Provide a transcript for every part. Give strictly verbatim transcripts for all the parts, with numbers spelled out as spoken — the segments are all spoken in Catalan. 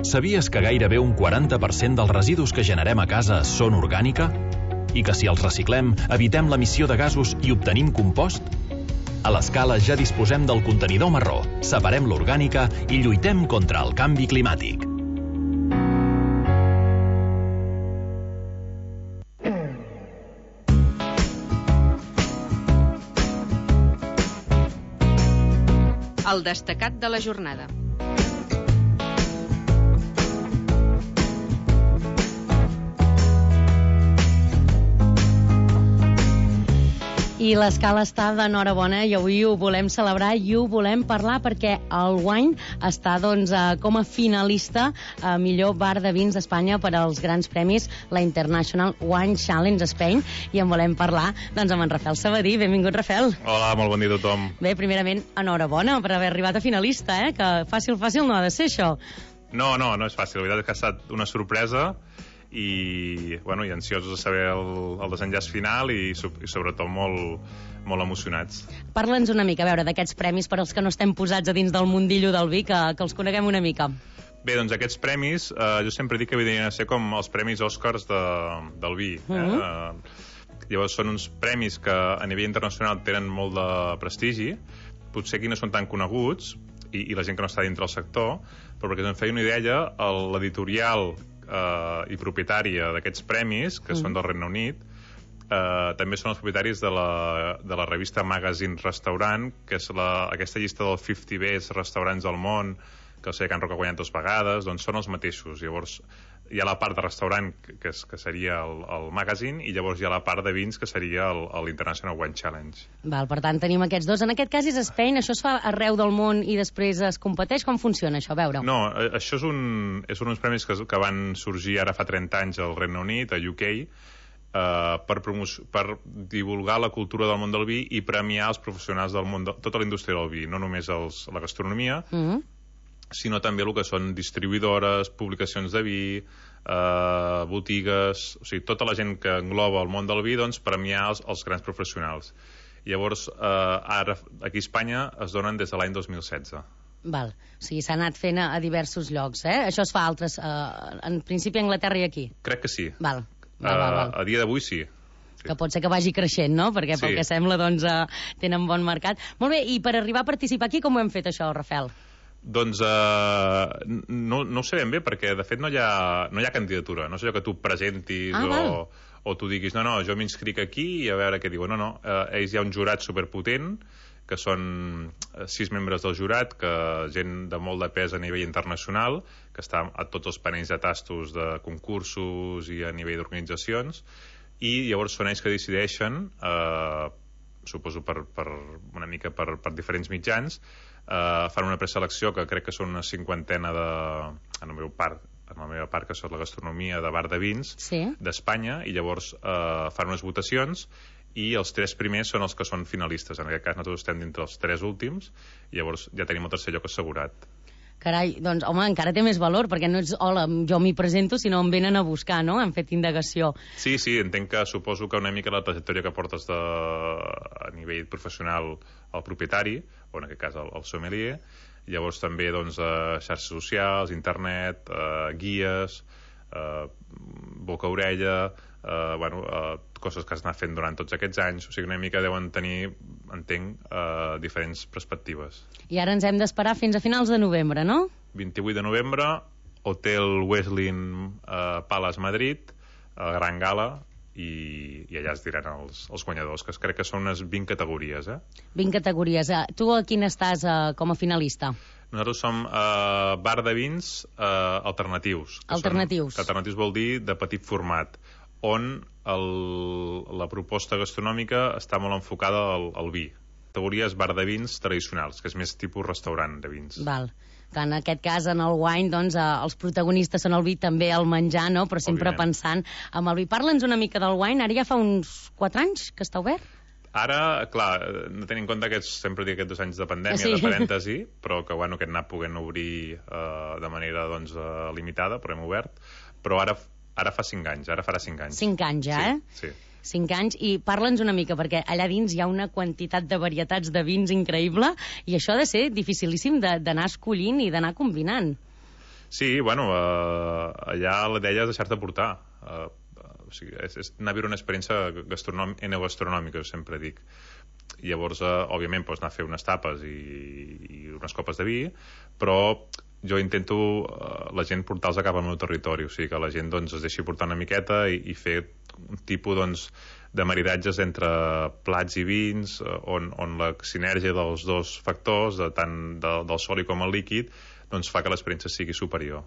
Sabies que gairebé un quaranta per cent dels residus que generem a casa són orgànica? I que si els reciclem, evitem l'emissió de gasos i obtenim compost? A l'Escala ja disposem del contenidor marró, separem l'orgànica i lluitem contra el canvi climàtic. El destacat de la jornada. I l'Escala està d'enhorabona i avui ho volem celebrar i ho volem parlar perquè el Wine està doncs, com a finalista a millor bar de vins d'Espanya per als grans premis, la International Wine Challenge Spain, i en volem parlar doncs, amb en Rafael Sabadí. Benvingut, Rafael. Hola, molt bon dia a tothom. Bé, primerament, enhorabona per haver arribat a finalista, eh? Que fàcil, fàcil no ha de ser això. No, no, no és fàcil. La veritat és que ha estat una sorpresa i, bueno, i ansiosos de saber el, el desenllaç final i, i sobretot molt, molt emocionats. Parla'ns una mica, a veure, d'aquests premis per als que no estem posats a dins del mundillo del vi, que, que els coneguem una mica. Bé, doncs aquests premis, eh, jo sempre dic que havien de ser com els premis Oscars de, del vi. Eh? Uh-huh. eh, llavors són uns premis que a nivell internacional tenen molt de prestigi, potser aquí no són tan coneguts, i, i la gent que no està dintre del sector, però perquè ens feia una idea, l'editorial Uh, i propietària d'aquests premis, que mm. són del Regne Unit, uh, també són els propietaris de la, de la revista Magazine Restaurant, que és la, aquesta llista dels cinquanta best restaurants del món, que el Can Roca ha guanyat dues vegades, doncs són els mateixos. Llavors hi ha la part de restaurant, que, és, que seria el, el magazine, i llavors hi ha la part de vins, que seria l'International Wine Challenge. Val, per tant, tenim aquests dos. En aquest cas és Spain, això es fa arreu del món i després es competeix? Com funciona això? A veure. No, això és, un, és uns premis que, que van sorgir ara fa trenta anys al Regne Unit, a U K, Uh, per, per divulgar la cultura del món del vi i premiar els professionals del món de tota la indústria del vi, no només els, la gastronomia, mm-hmm. sinó també el que són distribuïdores, publicacions de vi, uh, botigues, o sigui, tota la gent que engloba el món del vi, doncs premiar els, els grans professionals. Llavors, uh, ara aquí a Espanya es donen des de l'any dos mil setze. Val, o sigui, s'ha anat fent a, a diversos llocs, eh? Això es fa a altres, uh, en principi a Anglaterra i aquí? Crec que sí. Val. Val, val, val. Uh, a dia d'avui sí. sí. Que pot ser que vagi creixent, no? Perquè pel sí. que sembla, doncs, uh, tenen bon mercat. Molt bé, i per arribar a participar aquí, com ho hem fet això, Rafael? Doncs uh, no, no ho sé ben bé, perquè de fet no hi ha, no hi ha candidatura. No és allò que tu presentis ah, o, o tu diguis, no, no, jo m'inscric aquí i a veure què diuen. No, no, uh, ells hi ha un jurat superpotent, que són sis membres del jurat, que gent de molt de pes a nivell internacional, que està a tots els panells de tastos de concursos i a nivell d'organitzacions, i llavors són ells que decideixen, eh, suposo per, per una mica per, per diferents mitjans, eh, fan una preselecció que crec que són una cinquantena de, en el meu part, en la meva part, que és la gastronomia de bar de vins sí. d'Espanya, i llavors eh, fan unes votacions, i els tres primers són els que són finalistes. En aquest cas nosaltres estem dintre els tres últims, i llavors ja tenim el tercer lloc assegurat. Carai, doncs home, encara té més valor, perquè no és hola, jo m'hi presento, sinó em venen a buscar, no? Han fet indagació. Sí, sí, entenc que suposo que una mica la trajectòria que portes de, a nivell professional al propietari, o en aquest cas al, al sommelier, llavors també doncs, a xarxes socials, internet, eh, guies, eh, boca-orella, eh, bueno, eh, coses que has anat fent durant tots aquests anys, o sigui, una mica deuen tenir, entenc, eh, diferents perspectives. I ara ens hem d'esperar fins a finals de novembre, no? vint-i-vuit de novembre, Hotel Westin eh, Palace Madrid, eh, Gran Gala, i, i allà es diran els, els guanyadors, que crec que són unes vint categories, eh? vint categories. Tu a quina estàs eh, com a finalista? Nosaltres som eh, bar de vins eh, alternatius. Alternatius. Són, alternatius vol dir de petit format, on el, la proposta gastronòmica està molt enfocada al, al vi. Categories bar de vins tradicionals, que és més tipus restaurant de vins. Val. Que en aquest cas, en el wine, doncs, eh, els protagonistes són el vi, també el menjar, no? Però sempre Òbviament. Pensant en el vi. Parla'ns una mica del wine. Ara ja fa uns quatre anys que està obert? Ara, clar, no tenim en compte que sempre dic aquests dos anys de pandèmia, sí. de parèntesi, però que, bueno, que hem anat podent obrir eh, de manera, doncs, eh, limitada, però hem obert. Però ara, ara fa cinc anys, ara farà cinc anys. Cinc anys ja, sí, eh? Sí. Cinc anys, i parla'ns una mica, perquè allà dins hi ha una quantitat de varietats de vins increïble, i això ha de ser dificilíssim d'anar escollint i d'anar combinant. Sí, bueno, uh, allà la idea és deixar-te portar. Uh, o sigui, és, és anar a viure una experiència enogastronòmica, sempre dic. Llavors, uh, òbviament, pots anar a fer unes tapes i, i unes copes de vi, però jo intento uh, la gent portar-los a cap al meu territori, o sigui que la gent doncs, es deixi portar una miqueta i, i fer un tipus doncs, de maridatges entre plats i vins, uh, on, on la sinergia dels dos factors, de tant de, del sòlid com el líquid, doncs fa que l'experiència sigui superior.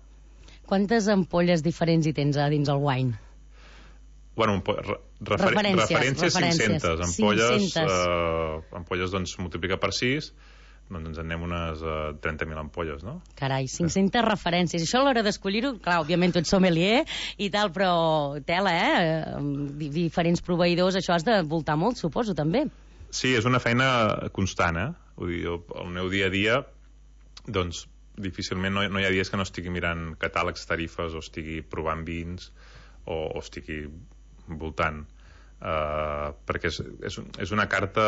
Quantes ampolles diferents hi tens a dins el wine? Bueno, refer referències, referències cinc-centes. Ampolles, uh, ampolles doncs, multiplica per sis, doncs ens en anem unes uh, trenta mil ampolles, no? Carai, cinc-centes sí. Referències. Això a l'hora d'escollir-ho, clar, òbviament tu ets sommelier i tal, però tela, eh? Diferents proveïdors, això has de voltar molt, suposo, també. Sí, és una feina constant, eh? Vull dir, el meu dia a dia, doncs, difícilment no, no hi ha dies que no estigui mirant catàlegs, tarifes, o estigui provant vins, o, o estigui voltant. Uh, perquè és, és, és una carta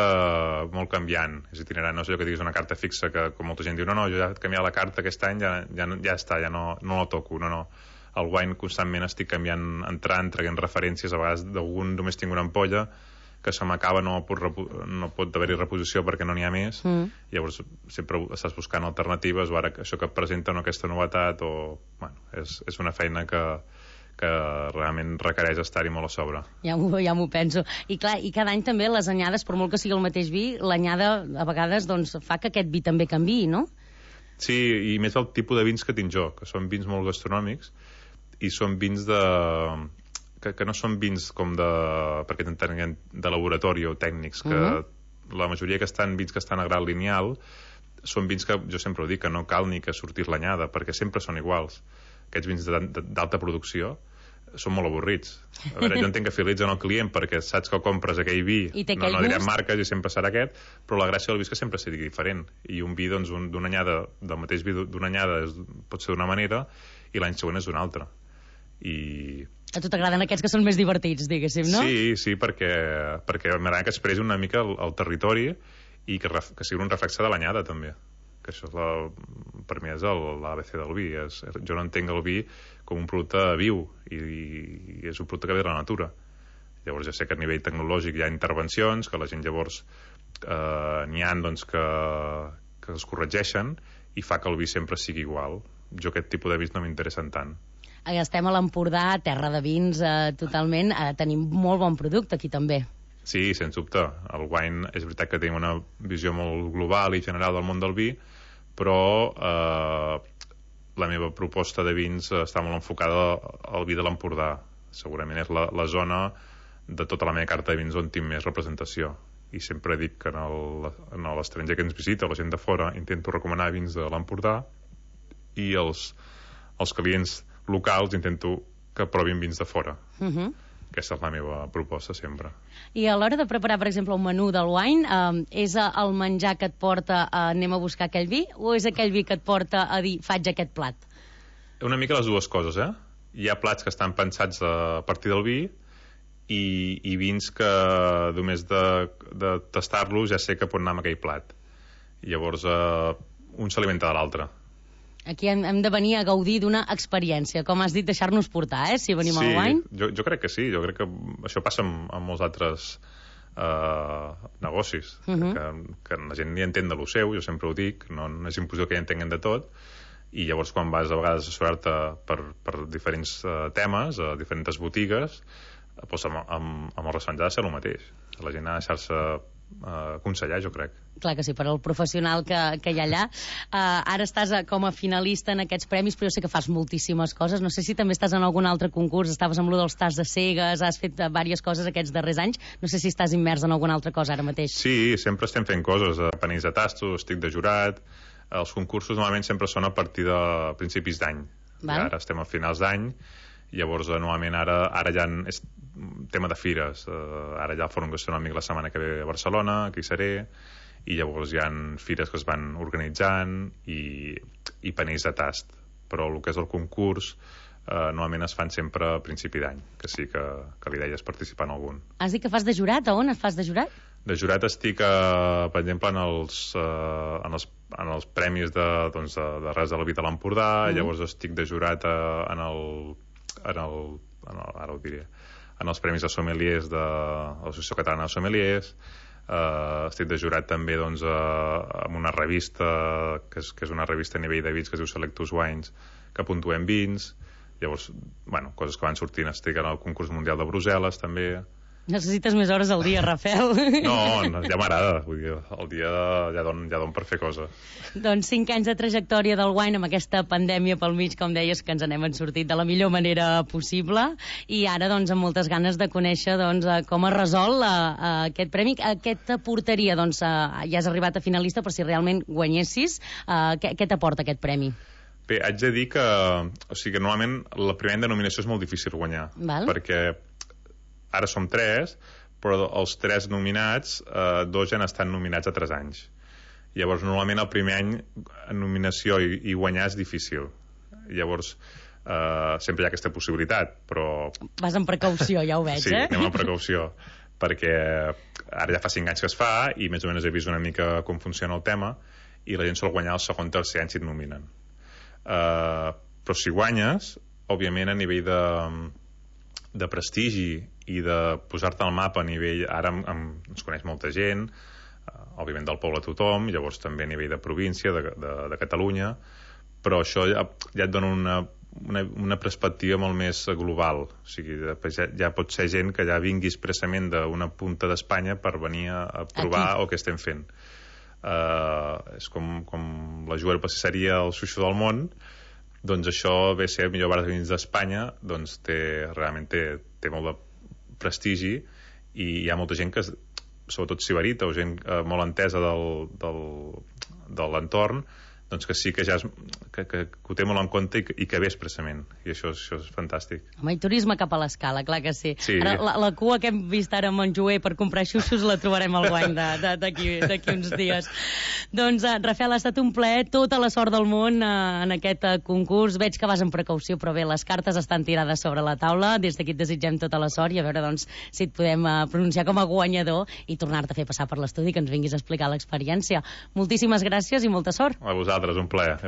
molt canviant, és itinerant, no és allò que diguis una carta fixa que com molta gent diu no, no, jo ja he canviat la carta aquest any, ja, ja, ja està, ja no, no la toco, no, no. El wine constantment estic canviant, entrant, traient referències, a vegades d'algun només tinc una ampolla que se m'acaba, no pot, no pot haver-hi reposició perquè no n'hi ha més, mm. Llavors sempre estàs buscant alternatives, o ara això que presenta no, aquesta novetat, o, bueno, és, és una feina que que realment requereix estar-hi molt a sobre. Ja m'ho ja m'ho penso. I clar, i cada any també les anyades, per molt que sigui el mateix vi, l'anyada a vegades doncs, fa que aquest vi també canviï, no? Sí, i més el tipus de vins que tinc jo, que són vins molt gastronòmics i són vins de... que, que no són vins com de... perquè t'entenguem, de laboratori o tècnics, que uh -huh. la majoria que estan vins que estan a grau lineal són vins que, jo sempre ho dic, que no cal ni que sortís l'anyada, perquè sempre són iguals. Aquests vins d'alta producció són molt avorrits. A veure, jo entenc que fidelitzen el client perquè saps que compres aquell vi, no, no direm marques i sempre serà aquest, però la gràcia del vi és que sempre sigui diferent. I un vi doncs, un, d'una anyada, del mateix vi d'una anyada és, pot ser d'una manera i l'any següent és d'una altra. I... A tu t'agraden aquests que són més divertits, diguéssim, no? Sí, sí, perquè, perquè m'agrada que expressi una mica el, el territori i que, ref, que sigui un reflexe de l'anyada, també. Que això és la, per mi és l'A B C del vi. És, jo no entenc el vi com un producte viu i, i és un producte que ve de la natura. Llavors ja sé que a nivell tecnològic hi ha intervencions, que la gent llavors eh, n'hi ha doncs, que, que es corregeixen i fa que el vi sempre sigui igual. Jo aquest tipus de vins no m'interessen tant. Estem a l'Empordà, terra de vins, eh, totalment. Eh, tenim molt bon producte aquí també. Sí, sens dubte. El wine és veritat que tenim una visió molt global i general del món del vi, però eh, la meva proposta de vins està molt enfocada al vi de l'Empordà. Segurament és la, la zona de tota la meva carta de vins on tinc més representació. I sempre dic que en l'estranger que ens visita, la gent de fora, intento recomanar vins de l'Empordà i els, els clients locals intento que provin vins de fora. Uh -huh. Aquesta és la meva proposta sempre. I a l'hora de preparar, per exemple, un menú del wine, eh, és el menjar que et porta a anem a buscar aquell vi o és aquell vi que et porta a dir faig aquest plat? Una mica les dues coses, eh? Hi ha plats que estan pensats a partir del vi i, i vins que només de, de tastar-los ja sé que pot anar amb aquell plat. I llavors eh, un s'alimenta de l'altre. Aquí hem, hem de venir a gaudir d'una experiència, com has dit, deixar-nos portar, eh, si venim sí, al wine. Jo, jo crec que sí, jo crec que això passa amb, amb molts altres eh, negocis, uh -huh. que, que la gent ni entén de lo seu, jo sempre ho dic, no, no és impossible que hi entenguen de tot, i llavors quan vas a vegades a assessorar-te per, per diferents uh, temes, a diferents botigues, doncs amb, amb, amb el restaurant ha de ser el mateix. La gent ha de deixar-se Uh, aconsellar, jo crec. Clar que sí, per al professional que, que hi ha allà. Uh, ara estàs a, com a finalista en aquests premis, però jo sé que fas moltíssimes coses. No sé si també estàs en algun altre concurs, estaves amb lo dels tas de cegues, has fet uh, diverses coses aquests darrers anys. No sé si estàs immers en alguna altra cosa ara mateix. Sí, sempre estem fent coses. A panells de tastos, estic de jurat. Els concursos normalment sempre són a partir de principis d'any. Ara estem a finals d'any. Llavors, normalment, ara, ara ja és tema de fires. Uh, ara ja el Fòrum Gastronòmic la setmana que ve a Barcelona, aquí seré, i llavors hi ha fires que es van organitzant i, i panells de tast. Però el que és el concurs uh, normalment es fan sempre a principi d'any, que sí que, que l'idea és participar en algun. Has dit que fas de jurat? A on et fas de jurat? De jurat estic, eh, per exemple, en els, eh, en els, en els premis de, doncs, de, de Res de la Vida a l'Empordà, mm. llavors estic de jurat eh, en, el, en, el, en el... ara ho diré... en els premis de sommeliers de l'Associació Catalana de Sommeliers, eh, estic de jurat també doncs, eh, en una revista, que és, que és una revista a nivell de vins que es diu Selectus Wines, que puntuem vins, llavors, bueno, coses que van sortint, estic en el concurs mundial de Brussel·les també. Necessites més hores al dia, Rafel. No, no ja m'agrada. Vull dir, el dia ja don, ja don per fer coses. Doncs cinc anys de trajectòria del wine amb aquesta pandèmia pel mig, com deies, que ens n'hem sortit de la millor manera possible. I ara, doncs, amb moltes ganes de conèixer doncs, com es resol uh, uh, aquest premi. Què t'aportaria? Doncs, uh, ja has arribat a finalista, però si realment guanyessis, uh, què, què t'aporta aquest premi? Bé, haig de dir que, o sigui, que normalment la primera denominació és molt difícil guanyar. Val. Perquè ara som tres, però els tres nominats, eh, dos ja han estat nominats a tres anys. Llavors, normalment el primer any en nominació i, i guanyar és difícil. Llavors, eh, sempre hi ha aquesta possibilitat, però... Vas amb precaució, ja ho veig, sí, eh? Sí, anem amb precaució, perquè ara ja fa cinc anys que es fa i més o menys he vist una mica com funciona el tema i la gent sol guanyar el segon, tercer any si et nominen. Eh, però si guanyes, òbviament a nivell de... de prestigi i de posar-te al mapa a nivell... Ara em, em, ens coneix molta gent, eh, òbviament del poble a tothom, llavors també a nivell de província, de, de, de Catalunya, però això ja, ja et dona una, una, una perspectiva molt més global. O sigui, ja, ja pot ser gent que ja vingui expressament d'una punta d'Espanya per venir a, a provar Aquí. El que estem fent. Eh, és com, com la Joel Pastisseria el Suixo del món, doncs això ve a ser el millor bar de vins d'Espanya, doncs té, realment té, té molt de prestigi i hi ha molta gent que, sobretot sibarita o gent eh, molt entesa del, del, de l'entorn, doncs que sí que ja és, que, que, que ho té molt en compte i que, i que ve expressament, i això, això és fantàstic. Home, i turisme cap a l'escala, clar que sí. sí. Ara, la, la cua que hem vist ara a Montjuïc per comprar xuxos la trobarem al guany d'aquí uns dies. Doncs, uh, Rafel, ha estat un plaer, tota la sort del món uh, en aquest uh, concurs. Veig que vas amb precaució, però bé, les cartes estan tirades sobre la taula. Des d'aquí et desitgem tota la sort i a veure doncs, si et podem uh, pronunciar com a guanyador i tornar-te a fer passar per l'estudi, que ens vinguis a explicar l'experiència. Moltíssimes gràcies i molta sort. A vosaltres, un plaer.